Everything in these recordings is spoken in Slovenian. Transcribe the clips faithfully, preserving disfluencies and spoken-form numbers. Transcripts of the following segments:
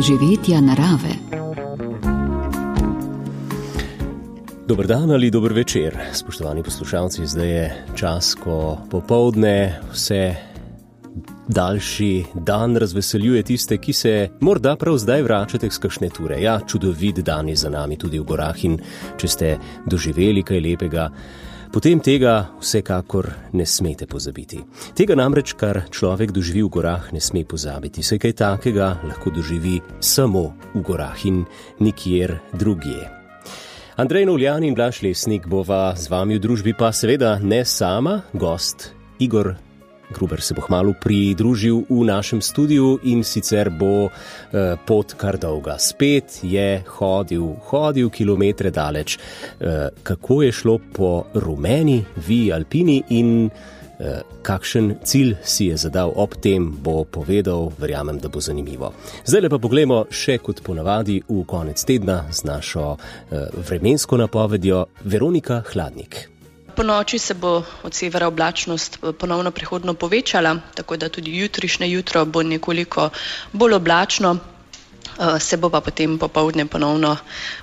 doživetja narave. Dober dan ali dober večer, spoštovani poslušalci. Zdaj je čas, ko popoldne vse daljši dan razveseljuje tiste, ki se morda prav zdaj vračate z kakšne ture. Ja, čudovit dan je za nami tudi v gorah in če ste doživeli kaj lepega, potem tega vsekakor ne smete pozabiti. Tega namreč, kar človek doživi v gorah, ne sme pozabiti. Saj kaj takega lahko doživi samo v gorah in nikjer drugje. Andrej Novljan in Blaž Lesnik bova z vami v družbi, pa seveda ne sama, gost Igor Gruber se bo kmalu pridružil v našem studiu in sicer bo eh, pot kar dolga. Spet je hodil, hodil kilometre daleč. Eh, kako je šlo po rumeni Vii Alpini in eh, kakšen cilj si je zadal ob tem, bo povedal, verjamem, da bo zanimivo. Zdaj pa poglejmo še kot ponavadi v konec tedna z našo eh, vremensko napovedjo Veronika Hladnik. Po noči se bo od severa oblačnost ponovno prehodno povečala, tako da tudi jutrišnje jutro bo nekoliko bolj oblačno, se bo pa potem popoldne ponovno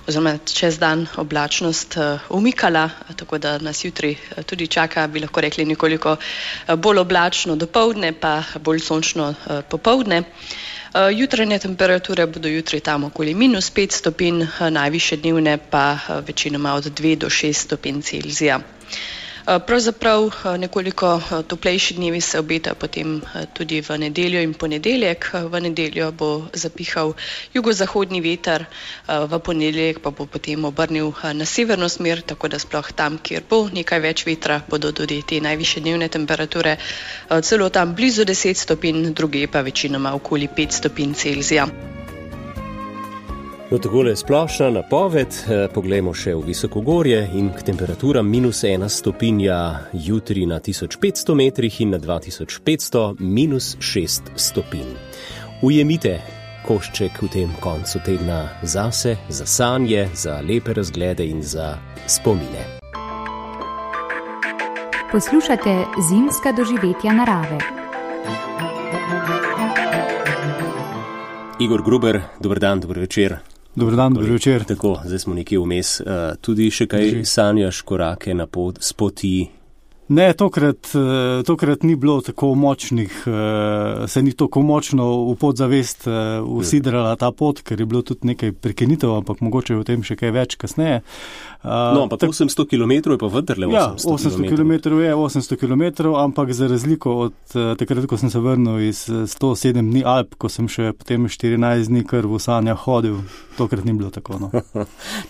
oziroma čez dan oblačnost umikala, tako da nas jutri tudi čaka, bi lahko rekli, nekoliko bolj oblačno dopoldne, pa bolj sončno popoldne. Jutranje temperature bodo jutri tam okoli minus pet stopinj, najvišje dnevne pa večinoma od dve do šest stopinj Celzija. Pravzaprav nekoliko toplejši dnevi se obetajo potem tudi v nedeljo in ponedeljek. V nedeljo bo zapihal jugozahodni veter, v ponedeljek pa bo potem obrnil na severno smer, tako da sploh tam, kjer bo nekaj več vetra, bodo tudi te najvišje dnevne temperature celo tam blizu deset stopinj, druge pa večinoma okoli pet stopinj Celzija. No, takole splošna napoved, poglejmo še v visokogorje in k temperaturam minus ena stopinja jutri na tisoč petsto metrih in na dva tisoč petsto minus šest stopinj. Ujemite košček v tem koncu tedna zase, za sanje, za lepe razglede in za spomine. Poslušate zimska doživetja narave. Igor Gruber, dober dan, dober večer. Dobar dan, dober večer. Tako, zdaj smo nekje vmes. Uh, tudi še kaj sanjaš korake na pot, s poti? Ne, tokrat, tokrat ni bilo tako močnih, se ni tako močno v podzavest usidrala ta pot, ker je bilo tudi nekaj prekinitev, ampak mogoče o tem še kaj več kasneje. No, ampak tak, osemsto kilometrov je pa vendarle osemsto kilometrov. Ja, osemsto kilometrov je osemsto kilometrov, ampak za razliko od takrat, ko sem se vrnil iz sto sedem dni Alp, ko sem še potem štirinajst dni kar v sanjah hodil, tokrat ni bilo tako. No.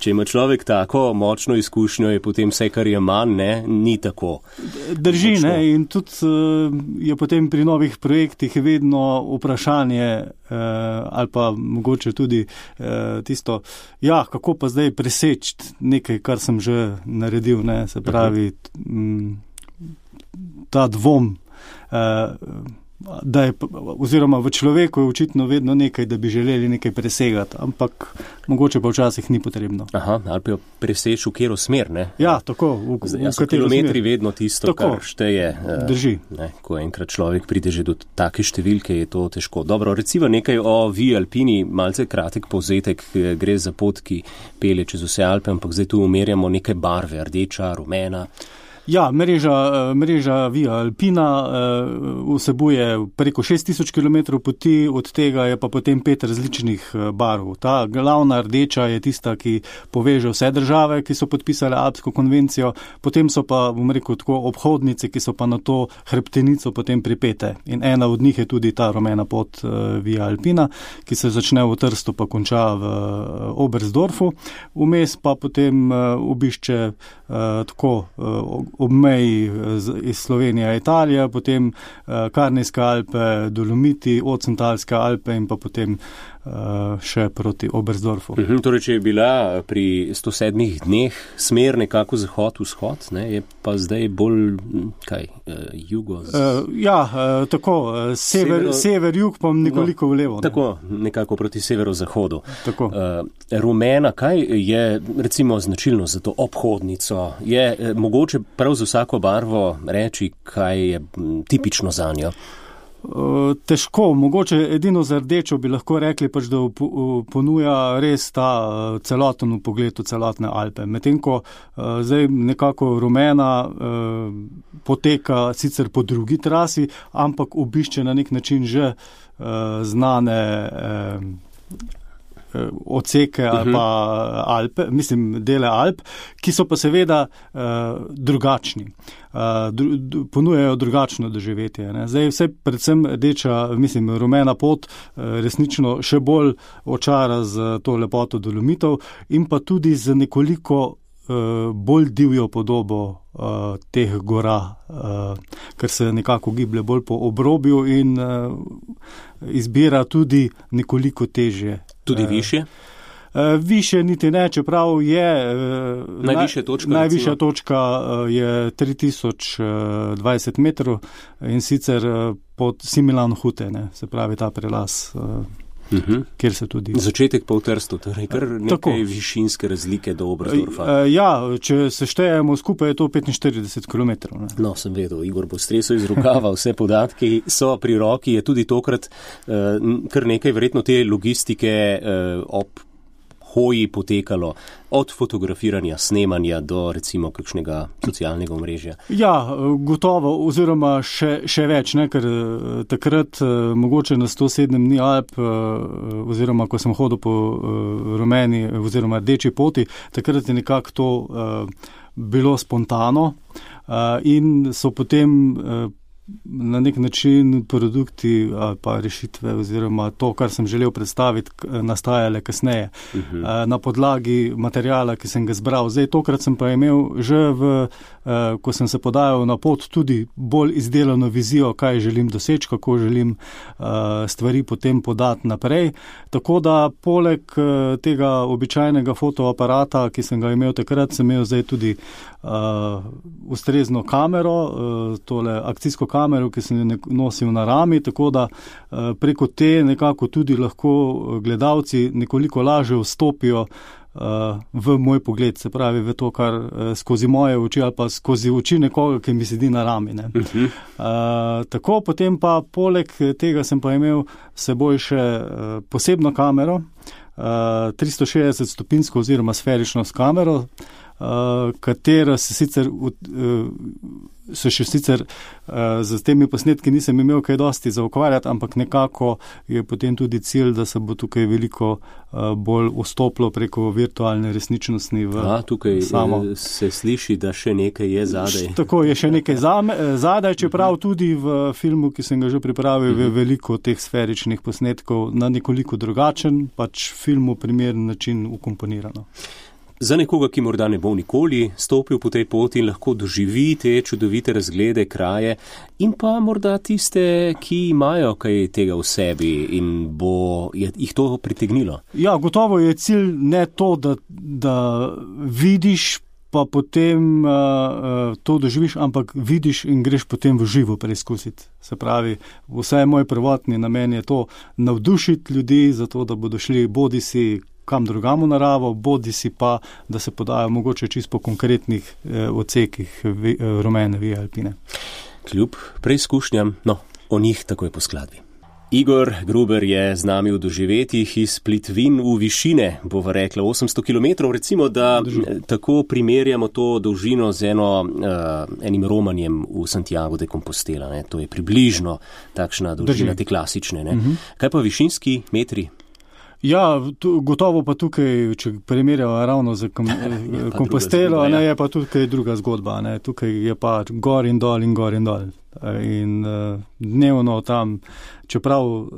Če ima človek tako močno izkušnjo, je potem vse, kar je manj, ne, ni tako. Drži, ne, in tudi uh, je potem pri novih projektih vedno vprašanje uh, ali pa mogoče tudi uh, tisto, ja, kako pa zdaj preseči nekaj, kar sem že naredil, ne, se pravi, m, ta dvom, uh, da je, oziroma v človeku je očitno vedno nekaj, da bi želeli nekaj presegati, ampak mogoče pa včasih ni potrebno. Aha, ali pa jo preseči v kjero smer, ne? Ja, tako, v, v, v katero kilometri smer. Vedno tisto, tako, kar šteje. Drži. Ne, ko enkrat človek pride že do take številke, je to težko. Dobro, reciva nekaj o Vii Alpini, malce kratek povzetek, gre za pot, ki pelje čez vse Alpe, ampak zdaj tu umerjamo neke barve, rdeča, rumena. Ja, mreža, mreža Via Alpina uh, vsebuje preko šest tisoč kilometrov poti, od tega je pa potem pet različnih barv. Ta glavna rdeča je tista, ki poveže vse države, ki so podpisale Alpsko konvencijo, potem so pa, bom rekel, tako obhodnice, ki so pa na to hrbtenico potem pripete. In ena od njih je tudi ta rumena pot uh, Via Alpina, ki se začne v Trstu pa konča v uh, Oberstdorfu. Vmes pa potem uh, obišče uh, tako uh, ob meji iz Slovenije, Italija, potem uh, Karnijske Alpe, Dolomiti, Ocentalske Alpe in pa potem uh, še proti Oberstdorfu. Mhm, torej, če je bila pri sto sedmih dneh smer nekako zahod-vzhod, ne, je pa zdaj bolj, kaj, uh, jugo? Z... Uh, ja, uh, tako, uh, sever, sever, jug pa nekoliko no, v levo. Ne? Tako, nekako proti severozahodu. Tako. Uh, rumena, kaj je recimo značilno za to obhodnico? Je uh, mogoče prav za vsako barvo reči, kaj je tipično za njo? Težko, mogoče edino za rdečo bi lahko rekli, pač, da ponuja res ta celoten pogled v celotne Alpe. Medtem ko zdaj nekako rumena poteka sicer po drugi trasi, ampak obišče na nek način že znane odseke ali pa Alpe, mislim dele Alp, ki so pa seveda uh, drugačni. Uh, dru, ponujajo drugačno doživetje. Ne. Zdaj vse predvsem rdeča, mislim, rumena pot uh, resnično še bolj očara z to lepoto Dolomitov in pa tudi z nekoliko uh, bolj divjo podobo uh, teh gora, uh, ker se nekako giblje bolj po obrobju in uh, izbira tudi nekoliko težje. Tudi više? Uh, više niti ne, čeprav je uh, najvišja točka, najvišja točka uh, je tri tisoč dvajset metrov in sicer uh, pod Similan Hute, ne, se pravi ta prelaz, uh, uh-huh. kjer se tudi... Začetek pa v Trstu, torej kar nekaj Tako. višinske razlike do Oberstdorfa. Uh, ja, če se štejemo skupaj, je to petinštirideset kilometrov. Ne. No, sem vedel, Igor bo stresel iz rokava, vse podatki so pri roki, je tudi tokrat uh, kar nekaj verjetno te logistike uh, ob hoji potekalo, od fotografiranja, snemanja do recimo kakšnega socialnega omrežja. Ja, gotovo, oziroma še, še več, ne, ker takrat mogoče na sto sedem dni Alp, oziroma ko sem hodil po rumeni oziroma rdeči poti, takrat je nekako to bilo spontano in so potem na nek način produkti ali pa rešitve oziroma to, kar sem želel predstaviti, nastajale kasneje. Uh-huh. Na podlagi materijala, ki sem ga zbral. Zdaj, tokrat sem pa imel že v, ko sem se podajal na pot, tudi bolj izdelano vizijo, kaj želim doseči, kako želim stvari potem podati naprej. Tako da poleg tega običajnega fotoaparata, ki sem ga imel takrat, sem imel zdaj tudi uh, ustrezno kamero, uh, tole akcijsko kamero, ki sem jo nosil na rami, tako da uh, preko te nekako tudi lahko gledalci nekoliko lažje vstopijo uh, v moj pogled, se pravi v to, kar uh, skozi moje oči ali pa skozi oči nekoga, ki mi sedi na rami. Ne. Uh-huh. Uh, tako, potem pa poleg tega sem pa imel s seboj še uh, posebno kamero, uh, tristo šestdeset stopinjsko oziroma sferično s kamero, Uh, katera se sicer, uh, se še sicer uh, z temi posnetki nisem imel kaj dosti za ukvarjati, ampak nekako je potem tudi cilj, da se bo tukaj veliko uh, bolj vstoplo preko virtualne resničnosti v A, tukaj samo. Se sliši, da še nekaj je zadaj. Š, tako je še nekaj zame, zadaj, čeprav tudi v filmu, ki sem ga že pripravil, je veliko teh sferičnih posnetkov na nekoliko drugačen, pač filmu primeren način ukomponirano. Za nekoga, ki morda ne bo nikoli stopil po tej poti in lahko doživi te čudovite razglede, kraje in pa morda tiste, ki imajo kaj tega v sebi in bo je, jih to pritegnilo. Ja, gotovo je cilj ne to, da, da vidiš pa potem uh, to doživiš, ampak vidiš in greš potem v živo preizkusiti. Se pravi, vsaj moj prvotni namen je to navdušiti ljudi, zato da bodo šli bodi si kam drugam v naravo, bodi si pa, da se podajo mogoče čisto po konkretnih eh, odsekih vi, eh, rumene vije Alpine. Kljub preizkušnjam, no, o njih takoj po skladbi. Igor Gruber je z nami v doživetjih iz Plitvin v višine, bova rekla osemsto kilometrov, recimo, da Drži. tako primerjamo to dolžino z eno, uh, enim romanjem v Santiago de Compostela. Ne? To je približno takšna dolžina, te klasične. Ne? Uh-huh. Kaj pa višinski metri? Ja, tu, gotovo pa tukaj, če primerjava ravno z kom, Compostelo, zgodba, ne, je pa tukaj druga zgodba. Ne. Tukaj je pa gor in dol in gor in dol. In uh, dnevno tam, čeprav uh,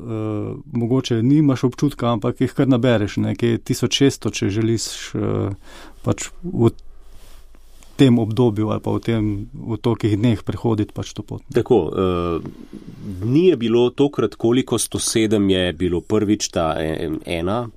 mogoče nimaš občutka, ampak jih kar nabereš, nekaj tisoč šeststo, če želiš uh, pač v tem obdobju ali pa v tem v tolikih dneh prehoditi pač to pot. Tako, uh, ni je bilo tokrat, koliko sto sedem je bilo prvič ta ena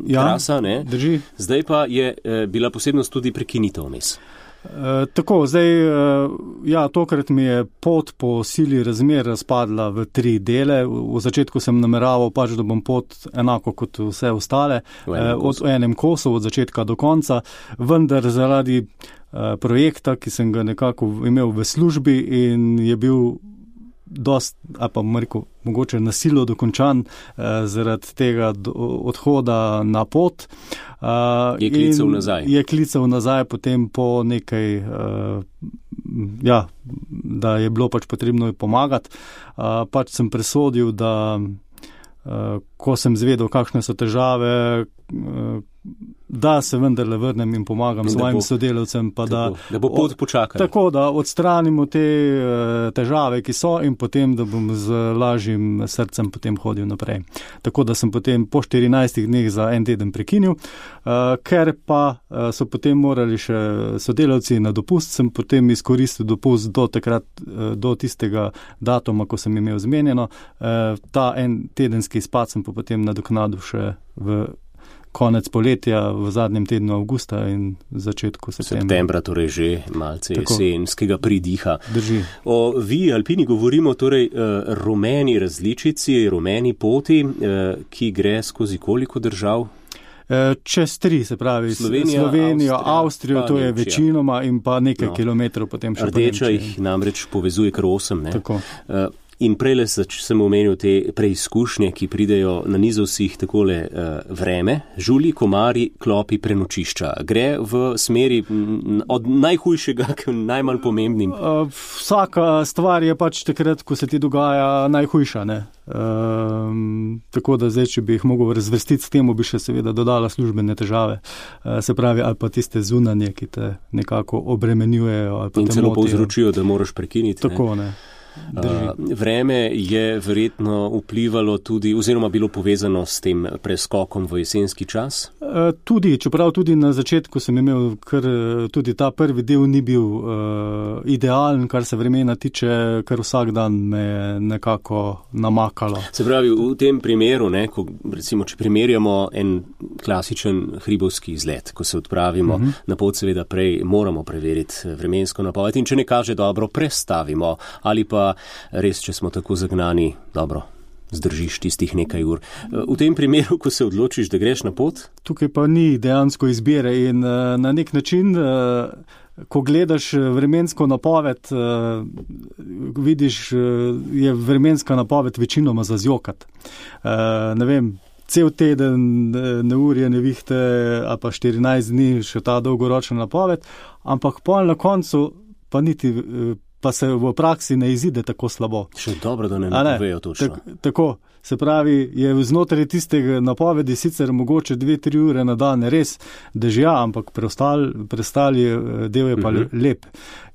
ja, trasa, ne? Drži. Zdaj pa je uh, bila posebnost tudi prekinitev vmes. Uh, tako, zdaj, uh, ja, tokrat mi je pot po sili razmer razpadla v tri dele. V, v začetku sem nameraval pač, da bom pot enako kot vse ostale, v enem, uh, od, v enem kosu, od začetka do konca, vendar zaradi uh, projekta, ki sem ga nekako imel v službi in je bil dost, ali pa rekel, mogoče nasilo dokončan uh, zaradi tega do, odhoda na pot. Uh, je klical nazaj. Je klical nazaj potem po nekaj, uh, ja, da je bilo pač potrebno pomagati. Uh, pač sem presodil, da uh, ko sem zvedel, kakšne so težave, uh, da se vendarle vrnem in pomagam in svojim bo, sodelavcem. Pa tako, da, da bo pot počakala. Tako, da odstranimo te uh, težave, ki so, in potem, da bom z lažjim srcem potem hodil naprej. Tako da sem potem po štirinajstih dneh za en teden prekinil, uh, ker pa uh, so potem morali še sodelavci na dopust, sem potem izkoristil dopust do takrat, uh, do tistega datuma, ko sem imel zmenjeno. Uh, ta en tedenski izpad sem pa potem nadoknadil še v konec poletja, v zadnjem tednu avgusta in začetku septembra. Septembra, torej že malce Tako. jesenskega pridiha. Drži. O vi, alpini, govorimo torej uh, rumeni različici, rumeni poti, uh, ki gre skozi koliko držav? Čez tri, se pravi, Slovenija, Slovenijo, Avstrija, Avstrijo, to je Nemčija. Večinoma, in pa nekaj No. kilometrov potem še po Rdeča Nemčiji. jih namreč povezuje kar osem, ne? Tako. Uh, In prej sem omenil te preizkušnje, ki pridejo na nizovsih takole uh, vreme, žuli, komari, klopi, prenočišča. Gre v smeri m, od najhujšega k najmanj pomembnim. Uh, vsaka stvar je pač takrat, ko se ti dogaja, najhujša, ne. Um, tako da zdaj, če bi jih mogel razvrstiti s temu, bi še seveda dodala službene težave. Uh, se pravi, ali pa tiste zunanje, ki te nekako obremenjujejo. Ali pa In te celo motijo. povzročijo, da moraš prekiniti. Tako, ne. Uh, vreme je verjetno vplivalo tudi, oziroma bilo povezano s tem preskokom v jesenski čas? Uh, tudi, čeprav tudi na začetku sem imel, ker tudi ta prvi del ni bil uh, idealen, kar se vremena tiče, ker vsak dan me je nekako namakalo. Se pravi, v tem primeru, ne, ko, recimo, če primerjamo en klasičen hribovski izlet, ko se odpravimo uh -huh. na pot, seveda prej moramo preveriti vremensko napoved in če ne kaže dobro, prestavimo ali pa res, če smo tako zagnani, dobro, zdržiš tistih nekaj ur. V tem primeru, ko se odločiš, da greš na pot? Tukaj pa ni dejansko izbire in uh, na nek način, uh, ko gledaš vremensko napoved, uh, vidiš, uh, je vremenska napoved večinoma za zjokat. Uh, ne vem, cel teden neurje, nevihte, ali pa štirinajst dni še ta dolgoročna napoved, ampak pol na koncu pa niti uh, pa se v praksi ne izide tako slabo. Še dobro, da ne napovejo točno. Tak, tako, se pravi, je znotraj tistega napovedi sicer mogoče dve, tri ure na dan res dežja, ampak preostali, preostali del je pa uh-huh. lep.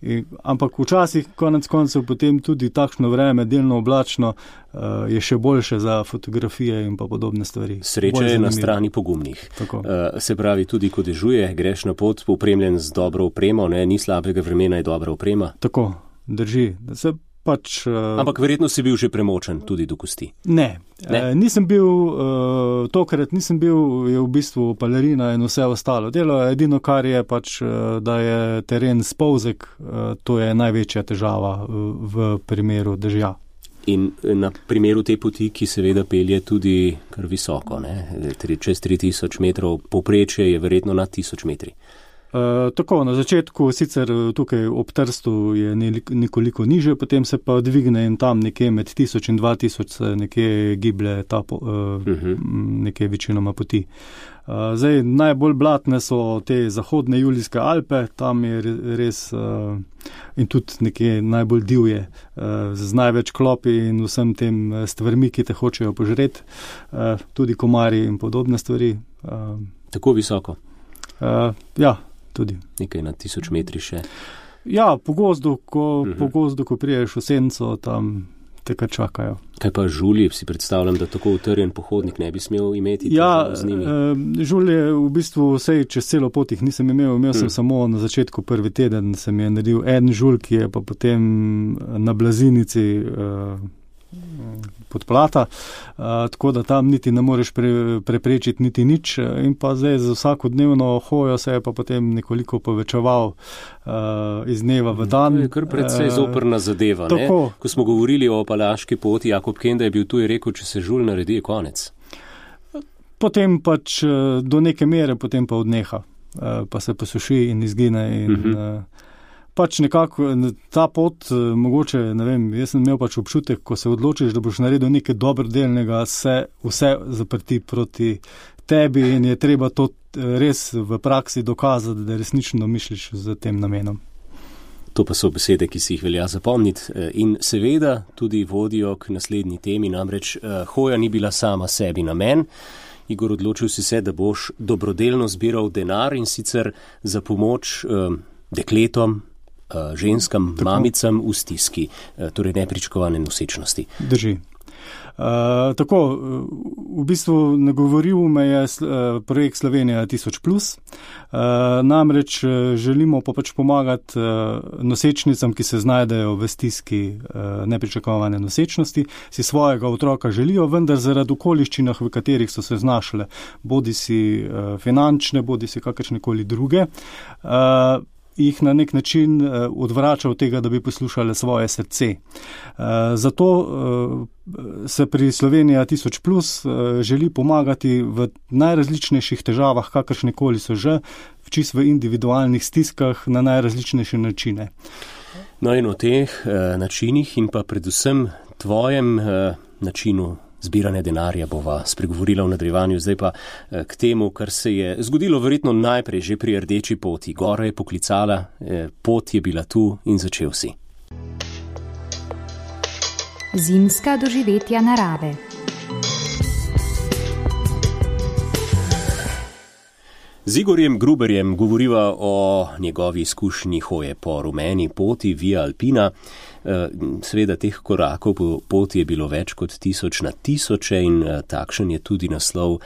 In, ampak včasih, konec koncev, potem tudi takšno vreme, delno oblačno, uh, je še boljše za fotografije in pa podobne stvari. Sreča je na strani pogumnih. Uh, se pravi, tudi ko dežuje, greš na pot, opremljen z dobro opremo, ne, ni slabega vremena, je dobra oprema. Tako. Drži. Se pač, uh, Ampak verjetno si bil že premočen tudi do kosti. Ne, ne? Uh, nisem bil, uh, tokrat nisem bil, je v bistvu palerina in vse ostalo. Delo je edino, kar je pač, uh, da je teren spolzek, uh, to je največja težava uh, v primeru dežja. In na primeru te poti, ki seveda pelje tudi kar visoko, ne? Čez tri tisoč metrov, povprečje je verjetno nad tisoč metri. Uh, tako, na začetku sicer tukaj ob Trstu je nekoliko niže, potem se pa dvigne in tam nekje med tisoč in dva tisoč se nekje giblje ta po, uh, uh-huh. nekje večinoma poti. Uh, zdaj, najbolj blatne so te zahodne Julijske Alpe, tam je res uh, in tudi nekje najbolj divje, uh, z največ klopi in vsem tem stvarmi, ki te hočejo požreti, uh, tudi komarji in podobne stvari. Uh, Tako visoko? Uh, ja. Tudi. Nekaj na tisoč metri še. Ja, po gozdu, ko, uh-huh. po gozdu, ko priješ v senco, tam te kar čakajo. Kaj pa žulji? Si predstavljam, da tako utrjen pohodnik ne bi smel imeti ja, z njimi? Ja, žulje v bistvu vsej čez celo pot jih nisem imel. Imel sem hmm. samo na začetku prvi teden, sem je naredil en žulj, ki je pa potem na blazinici uh, podplata, uh, tako da tam niti ne moreš pre, preprečiti niti nič in pa zdaj za vsakodnevno hojo se je pa potem nekoliko povečeval uh, iz dneva v dan. To je kar precej uh, zoprna zadeva. Ne? Ko smo govorili o Apalaški poti, Jakob Kenda je bil tu in rekel, če se žulj naredi, je konec. Potem pač do neke mere, potem pa odneha, uh, pa se posuši in izgine in uh-huh. uh, pač nekako ta pot, mogoče, ne vem, jaz sem imel pač občutek, ko se odločiš, da boš naredil nekaj dobrodelnega, se vse zaprti proti tebi in je treba to res v praksi dokazati, da resnično misliš z tem namenom. To pa so besede, ki si jih velja zapomniti in seveda tudi vodijo k naslednji temi, namreč hoja ni bila sama sebi namen. Igor, odločil si se, da boš dobrodelno zbiral denar in sicer za pomoč eh, dekletom, eh, ženskam, tako, mamicam v stiski, eh, torej nepričakovane nosečnosti. Drži. Uh, tako, v bistvu nagovoril me je uh, projekt Slovenija tisoč plus, uh, namreč želimo pa pač pomagati uh, nosečnicam, ki se znajdejo v stiski uh, nepričakovane nosečnosti, si svojega otroka želijo, vendar zaradi okoliščinah, v katerih so se znašle, bodi si uh, finančne, bodi si kakršnekoli druge, uh, jih na nek način uh, odvrača od tega, da bi poslušale svoje srce. Uh, zato uh, se pri Slovenija tisoč plus uh, želi pomagati v najrazličnejših težavah, kakršnekoli so že, v čist v individualnih stiskah na najrazličnejše načine. No in o teh uh, načinih in pa predvsem tvojem uh, načinu zbiranje denarja bova spregovorila v nadaljevanju, zdaj pa k temu, kar se je zgodilo verjetno najprej že pri rdeči poti. Gora je poklicala, pot je bila tu in začel si. Zimska doživetja narave. Z Igorjem Gruberjem govoriva o njegovi izkušnji hoje po rumeni poti Via Alpina. Seveda teh korakov po poti je bilo več kot tisoč na tisoče in takšen je tudi naslov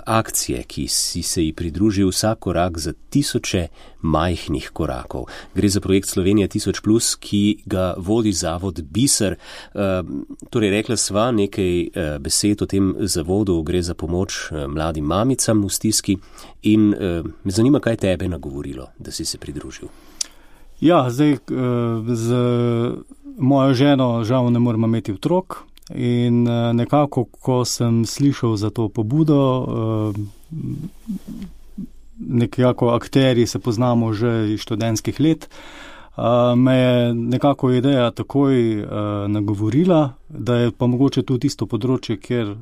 akcije, ki si se ji pridružil vsak korak za tisoče majhnih korakov. Gre za projekt Slovenija tisoč plus, ki ga vodi zavod Biser. Torej, rekla sva nekaj besed o tem zavodu, gre za pomoč mladim mamicam v stiski in me zanima, kaj tebe nagovorilo, da si se pridružil. Ja, zdaj z mojo ženo žal ne moramo imeti otrok in nekako, ko sem slišal za to pobudo, nekako akteri se poznamo že iz študentskih let, me je nekako ideja takoj nagovorila, da je pa mogoče tudi tisto področje, kjer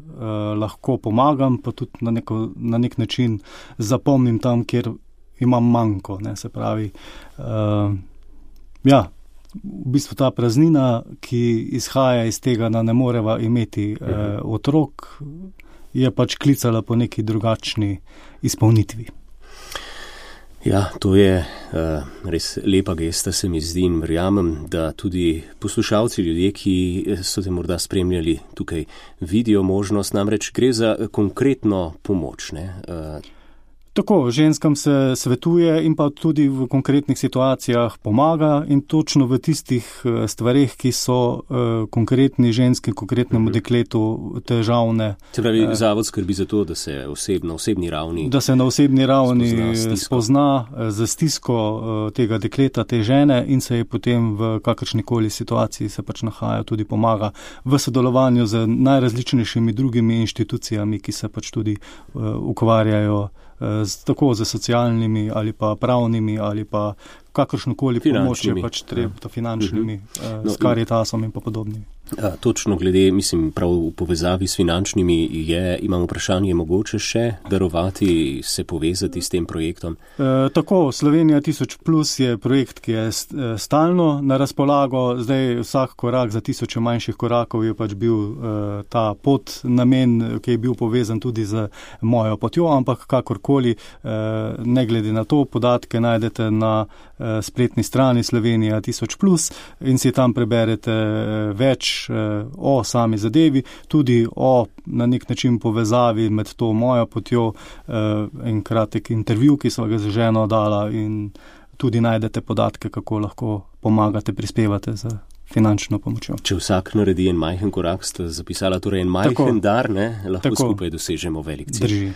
lahko pomagam, pa tudi na, neko, na nek način zapomnim tam, kjer imam manjko, ne, se pravi, uh, ja, v bistvu ta praznina, ki izhaja iz tega, da ne moreva imeti uh, otrok, je pač klicala po neki drugačni izpolnitvi. Ja, to je uh, res lepa gesta, se mi zdi in verjamem, da tudi poslušalci, ljudje, ki so te morda spremljali tukaj, vidijo možnost, namreč gre za konkretno pomoč, ne, uh, Tako, ženskam se svetuje in pa tudi v konkretnih situacijah pomaga in točno v tistih stvareh, ki so uh, konkretni ženski, konkretnemu dekletu težavne. Se pravi, uh, zavod skrbi za to, da se oseb, na osebni ravni da se na osebni ravni spozna, spozna za stisko uh, tega dekleta, te žene in se je potem v kakršnikoli situaciji se pač nahaja, tudi pomaga v sodelovanju z najrazličnejšimi drugimi inštitucijami, ki se pač tudi uh, ukvarjajo Z, tako za socialnimi ali pa pravnimi ali pa kakršnokoli pomoč je pač treba, finančnimi, uh-huh. no, s Caritasom in pa podobnimi. A, točno glede, mislim, prav v povezavi s finančnimi je, imam vprašanje, mogoče še darovati, se povezati s tem projektom? E, tako, Slovenija tisoč plus je projekt, ki je stalno na razpolago, zdaj vsak korak za tisoče manjših korakov je pač bil e, ta pot namen, ki je bil povezan tudi z mojo potjo, ampak kakorkoli, e, ne glede na to, podatke najdete na e, spletni strani Slovenija tisoč plus in si tam preberete več o sami zadevi, tudi o na nek način povezavi med to mojo potjo, en kratek intervju, ki so ga z ženo dala in tudi najdete podatke, kako lahko pomagate, prispevate za finančno pomočjo. Če vsak naredi en majhen korak, ste zapisala torej en majhen tako, dar, ne? Lahko tako, skupaj dosežemo velik cilj. Drži.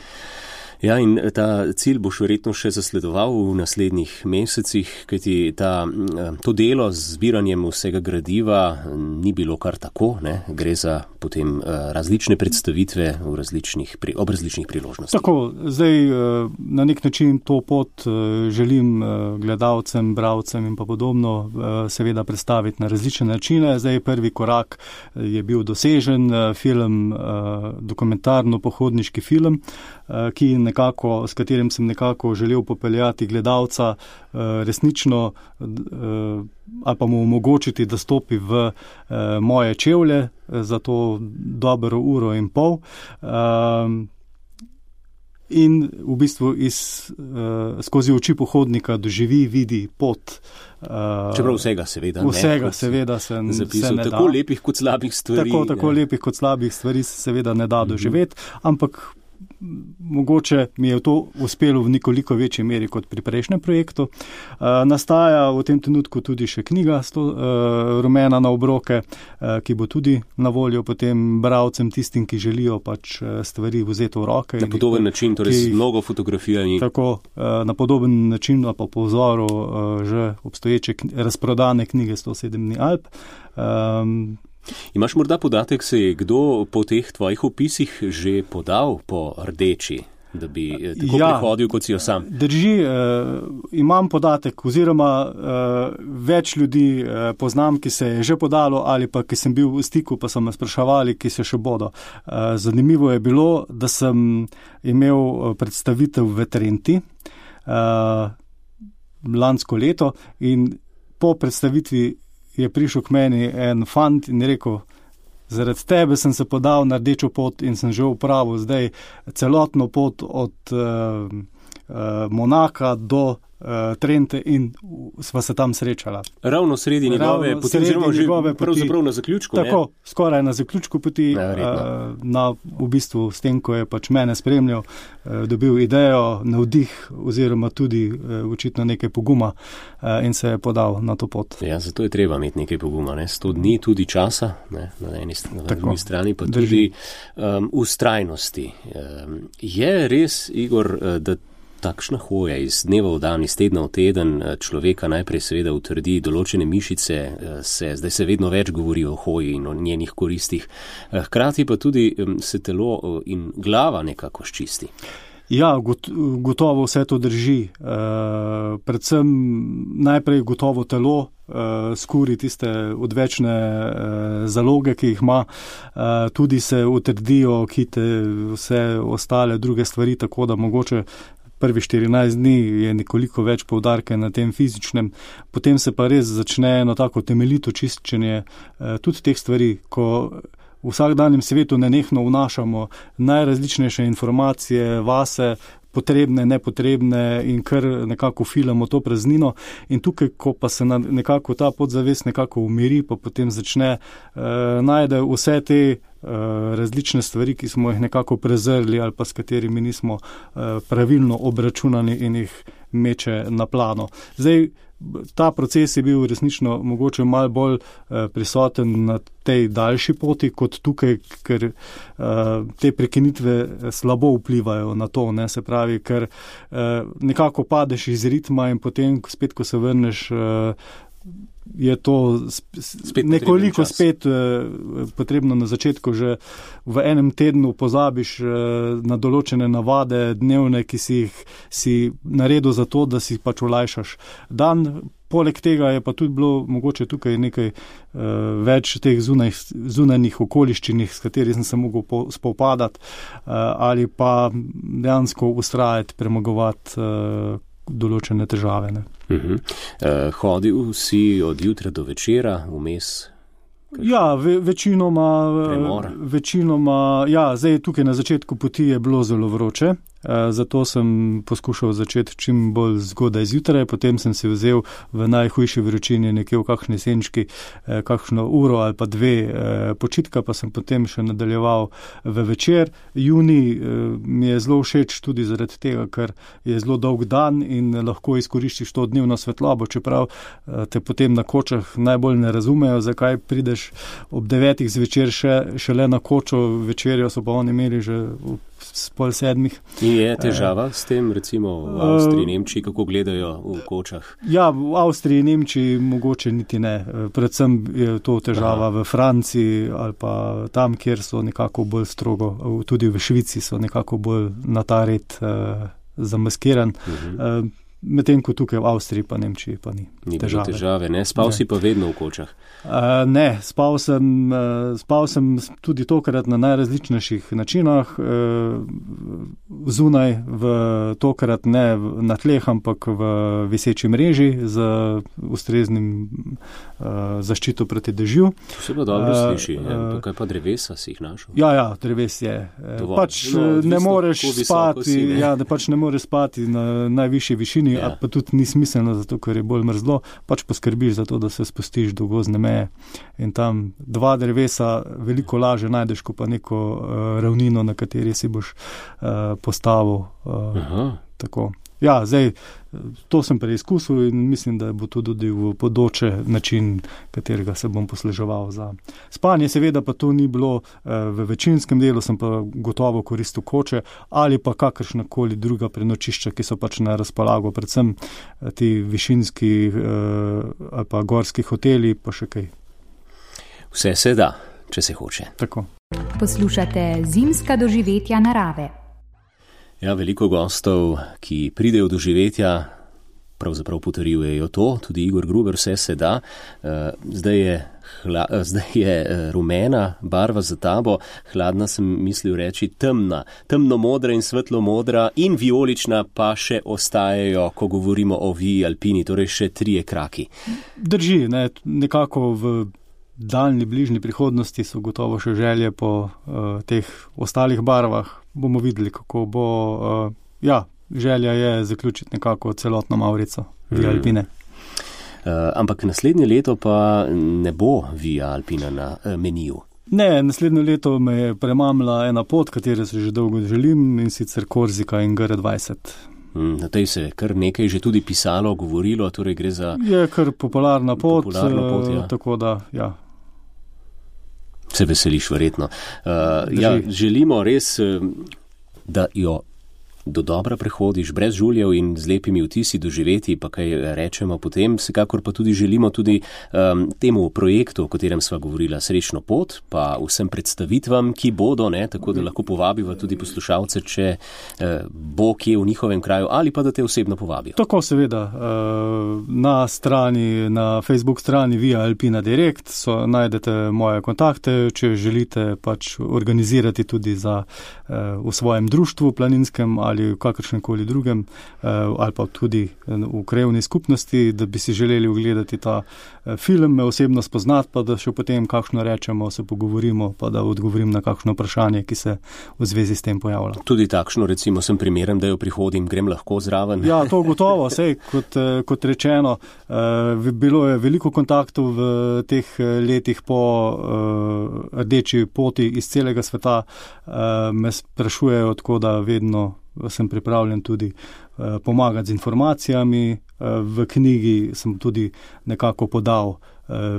Ja, in ta cilj boš verjetno še zasledoval v naslednjih mesecih, kajti ta, to delo z zbiranjem vsega gradiva ni bilo kar tako, ne? Gre za potem različne predstavitve v različnih, ob različnih priložnostih. Tako, zdaj na nek način to pot želim gledalcem, bralcem in pa podobno seveda predstaviti na različne načine. Zdaj prvi korak je bil dosežen, film, dokumentarno-pohodniški film, ki nekako, s katerim sem nekako želel popeljati gledalca resnično ali pa mu omogočiti, da stopi v moje čevlje za to dobro uro in pol. In v bistvu iz, skozi oči pohodnika doživi, vidi pot. Čeprav vsega seveda ne. Vsega seveda se, se ne da. Tako lepih kot slabih stvari. Tako, tako lepih kot slabih stvari se seveda ne da doživeti, ampak mogoče mi je to uspelo v nekoliko večji meri kot pri prejšnjem projektu. Uh, nastaja v tem trenutku tudi še knjiga sto, uh, Rumena na obroke, uh, ki bo tudi na voljo potem bralcem, tistim, ki želijo pač stvari vzeti v roke. Na podoben način, torej z mnogo fotografijami. Tako, uh, na podoben način, pa po vzoru uh, že obstoječe kn- razprodane knjige sto sedem dni Alp. Um, Imaš morda podatek, se je kdo po teh tvojih opisih že podal po rdeči, da bi tako ja, prihodil, kot si jo sam? Drži, eh, imam podatek, oziroma eh, več ljudi eh, poznam, ki se je že podalo ali pa ki sem bil v stiku, pa so me spraševali, ki se še bodo. Eh, zanimivo je bilo, da sem imel predstavitev v Trenti eh, lansko leto in po predstavitvi je prišel k meni en fant in rekel, zaradi tebe sem se podal na rdečo pot in sem že upravil zdaj celotno pot od uh, uh, Monaka do uh, Trente in sva se tam srečala. Ravno sredi njegove poti, oziroma že pravzaprav na zaključku. Tako, ne? Skoraj na zaključku poti, ja, uh, na, v bistvu s tem, ko je pač mene spremljal, uh, dobil idejo, navdih oziroma tudi uh, očitno nekaj poguma uh, in se je podal na to pot. Ja, zato je treba imeti nekaj poguma, ne? sto dni tudi časa, ne? Na eni na drugi strani pa Drži. tudi um, ustrajnosti. Um, je res, Igor, da takšna hoja iz dneva v dan, iz tedna v teden človeka najprej seveda utrdi določene mišice, se, zdaj se vedno več govori o hoji in o njenih koristih, hkrati pa tudi se telo in glava nekako ščisti. Ja, gotovo vse to drži. Uh, predvsem najprej gotovo telo uh, skuri tiste odvečne uh, zaloge, ki jih ima, uh, tudi se utrdijo kite vse ostale druge stvari, tako da mogoče prvi štirinajst dni je nekoliko več poudarke na tem fizičnem, potem se pa res začne eno tako temeljito čiščenje uh, tudi teh stvari, ko v vsakdanjem svetu nenehno vnašamo najrazličnejše informacije vase, potrebne, nepotrebne in kar nekako filamo to praznino in tukaj, ko pa se nekako ta podzavest nekako umiri, pa potem začne eh, najde vse te eh, različne stvari, ki smo jih nekako prezrli ali pa s katerimi nismo eh, pravilno obračunani in jih meče na plano. Zdaj, ta proces je bil resnično mogoče malo bolj eh, prisoten na tej daljši poti kot tukaj, ker eh, te prekinitve slabo vplivajo na to, ne, se pravi, ker eh, nekako padeš iz ritma in potem spet, ko se vrneš, eh, je to spet nekoliko spet eh, potrebno na začetku, že v enem tednu pozabiš eh, na določene navade dnevne, ki si jih si naredil za to, da si pač olajšaš dan. Poleg tega je pa tudi bilo mogoče tukaj nekaj uh, več teh zunaj, zunanjih okoliščin, s katerih sem se mogel po, spopadati uh, ali pa dejansko ustrajati, premagovati uh, določene težave. Ne. Uh-huh. Uh, hodil si od jutra do večera, vmes? Ja, ve, večinoma, večinoma, ja, zdaj tukaj na začetku poti je bilo zelo vroče, zato sem poskušal začeti čim bolj zgodaj zjutraj, potem sem se vzel v najhujši vročini nekje v kakšni senčki kakšno uro ali pa dve počitka, pa sem potem še nadaljeval v večer. Junij mi je zelo všeč tudi zaradi tega, ker je zelo dolg dan in lahko izkoriščiš to dnevno svetlobo, čeprav te potem na kočah najbolj ne razumejo, zakaj prideš ob devetih zvečer še, šele na kočo, večerjo so pa oni imeli že pol sedmih. In je težava s tem, recimo v Avstriji, Nemčiji, kako gledajo v kočah? Ja, v Avstriji, Nemčiji mogoče niti ne. Predvsem je to težava Aha. v Franciji ali pa tam, kjer so nekako bolj strogo, tudi v Švici so nekako bolj na ta red uh, zamaskiran. Uh-huh. Uh, Medtem ko tukaj v Avstriji pa Nemčiji pa ni, ni težave. težave. Ne? Spal ne. si pa vedno v kočah? Uh, ne, spal sem, uh, spal sem tudi tokrat na najrazličnejših načinah, uh, zunaj, v, tokrat ne na tleh, ampak v viseči mreži z ustreznim uh, zaščito proti dežju. To se pa dobro uh, sliši. Uh, Tukaj pa drevesa si jih našel? Ja, ja, dreves je. Dovolj. Pač no, ne moreš spati, si, ne? Ja, ne, pač ne moreš spati na najvišji višini. Ja. Pa tudi ni smiselno, zato ker je bolj mrzlo, pač poskrbiš za to, da se spustiš do gozdne meje in tam dva drevesa veliko laže najdeš, ko pa neko uh, ravnino, na kateri si boš uh, postavil. Uh, tako. Ja, zdaj, to sem preizkusil in mislim, da bo to tudi v podoče način, katerega se bom posluževal za spanje. Seveda pa to ni bilo v večinskem delu, sem pa gotovo koristil koče ali pa kakršnakoli druga prenočišča, ki so pač na razpolago, predvsem ti višinski ali pa gorski hoteli, pa še kaj. Vse se da, če se hoče. Tako. Poslušate Zimska doživetja narave. Ja, veliko gostov, ki pridejo do živetja, pravzaprav potrjujejo to, tudi Igor Gruber, vse se da. Zdaj je, hla, zdaj je rumena barva za tabo, hladna sem mislil reči temna, temno-modra in svetlo-modra in vijolična pa še ostajajo, ko govorimo o viji alpini, torej še trije kraki. Drži, ne, nekako v daljni, bližnji prihodnosti so gotovo še želje po uh, teh ostalih barvah. Bomo videli, kako bo. Uh, ja, želja je zaključiti nekako celotno Maurico Via Alpine. Uh, ampak naslednje leto pa ne bo Via Alpina na uh, meniju. Ne, naslednje leto me je premamila ena pot, katero se že dolgo želim, in sicer Korzika in G R dvajset. Na tej se kar nekaj že tudi pisalo, govorilo, torej gre za... Je kar popularna pot, popularna pot ja. Tako da, ja. Se veseliš verjetno. Uh, ja, želimo res, da jo do dobra prehodiš brez žuljev in z lepimi vtisi doživeti, pa kaj rečemo potem. Vsekakor pa tudi želimo tudi um, temu projektu, o katerem sva govorila, srečno pot, pa vsem predstavitvam, ki bodo, ne, tako da lahko povabiva tudi poslušalce, če uh, bo kje v njihovem kraju ali pa da te osebno povabijo. Tako seveda. Uh, na strani, na Facebook strani Via Alpina Direct so, najdete moje kontakte, če želite pač organizirati tudi za, uh, v svojem društvu planinskem ali v kakršnemkoli drugem, ali pa tudi v krajevni skupnosti, da bi si želeli ogledati ta film, me osebno spoznati, pa da še potem kakšno rečemo, se pogovorimo, pa da odgovorim na kakšno vprašanje, ki se v zvezi s tem pojavlja. Tudi takšno, recimo, sem primeren, da jo prihodim, grem lahko zraven. Ja, to gotovo, sej, kot, kot rečeno, bilo je veliko kontaktov v teh letih po rdeči poti iz celega sveta, me sprašujejo, tako da vedno sem pripravljen tudi uh, pomagati z informacijami. Uh, v knjigi sem tudi nekako podal uh,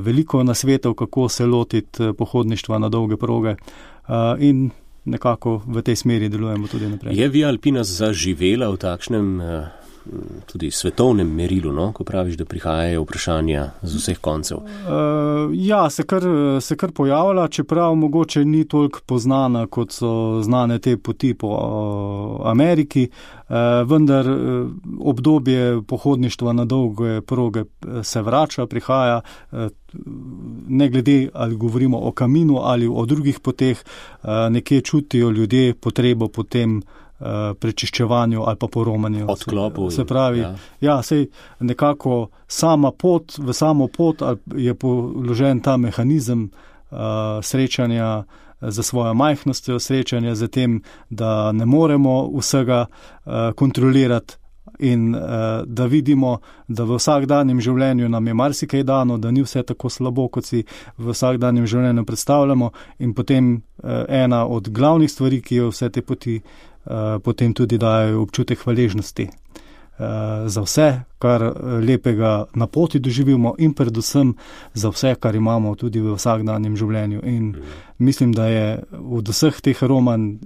veliko nasvetov, kako se lotiti uh, pohodništva na dolge proge uh, in nekako v tej smeri delujemo tudi naprej. Je Via Alpina zaživela v takšnem uh, tudi svetovnem merilu, no? Ko praviš, da prihajajo vprašanja z vseh koncev? Uh, ja, se kar, se kar pojavlja, čeprav mogoče ni toliko poznana, kot so znane te poti po uh, Ameriki, uh, vendar uh, obdobje pohodništva na dolge proge se vrača, prihaja, uh, ne glede, ali govorimo o kaminu ali o drugih poteh, uh, nekje čutijo ljudje potrebo potem prečiščevanju ali pa poromanju. Odklopu. Se pravi, ja, ja sej nekako sama pot, v samo pot je položen ta mehanizem uh, srečanja za svojo majhnostjo, srečanja za tem, da ne moremo vsega uh, kontrolirati in uh, da vidimo, da v vsakdanjem življenju nam je marsikaj dano, da ni vse tako slabo, kot si v vsakdanjem življenju predstavljamo, in potem uh, ena od glavnih stvari, ki jo vse te poti Uh, potem tudi dajo občutek hvaležnosti. za vse, kar lepega na poti doživimo in predvsem za vse, kar imamo tudi v vsakdanjem življenju. In mislim, da je od vseh teh aromanj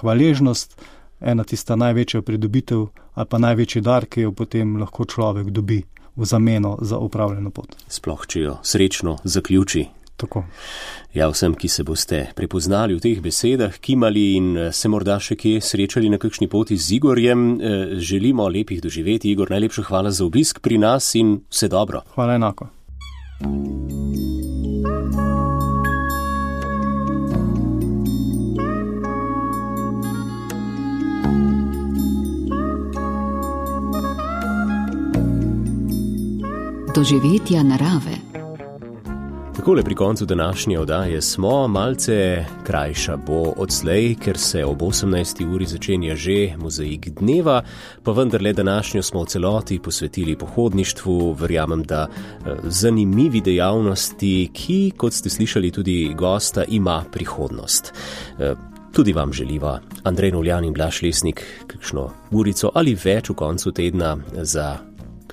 hvaležnost ena tista največja pridobitev ali pa največji dar, ki jo potem lahko človek dobi v zameno za upravljeno pot. Sploh, če jo srečno zaključi. Tako. Ja, vsem, ki se boste prepoznali v teh besedah, kimali in se morda še kje srečali na kakšni poti z Igorjem, želimo lepih doživeti. Igor, najlepša hvala za obisk pri nas in vse dobro. Hvala enako. Doživetja narave. Takole pri koncu današnje oddaje smo, malce krajša bo odslej, ker se ob osemnajsti uri začenja že mozaik dneva, pa vendarle današnjo smo v celoti posvetili pohodništvu, verjamem, da zanimivi dejavnosti, ki, kot ste slišali tudi gosta, ima prihodnost. Tudi vam želiva Andrej Novljan in Blaž Lesnik kakšno urico ali več v koncu tedna za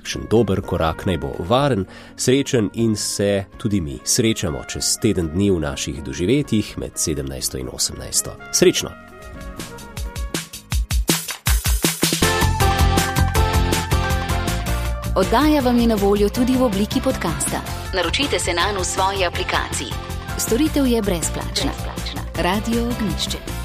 kakšen dober korak, naj bo varen, srečen in se tudi mi srečamo čez teden dni v naših doživetjih med sedemnajsto in osemnajsto. Srečno! Oddaja vam je na voljo tudi v obliki podcasta. Naročite se nanj v svoji aplikaciji. Storitev je brezplačna. brezplačna. Radio Ognjišče.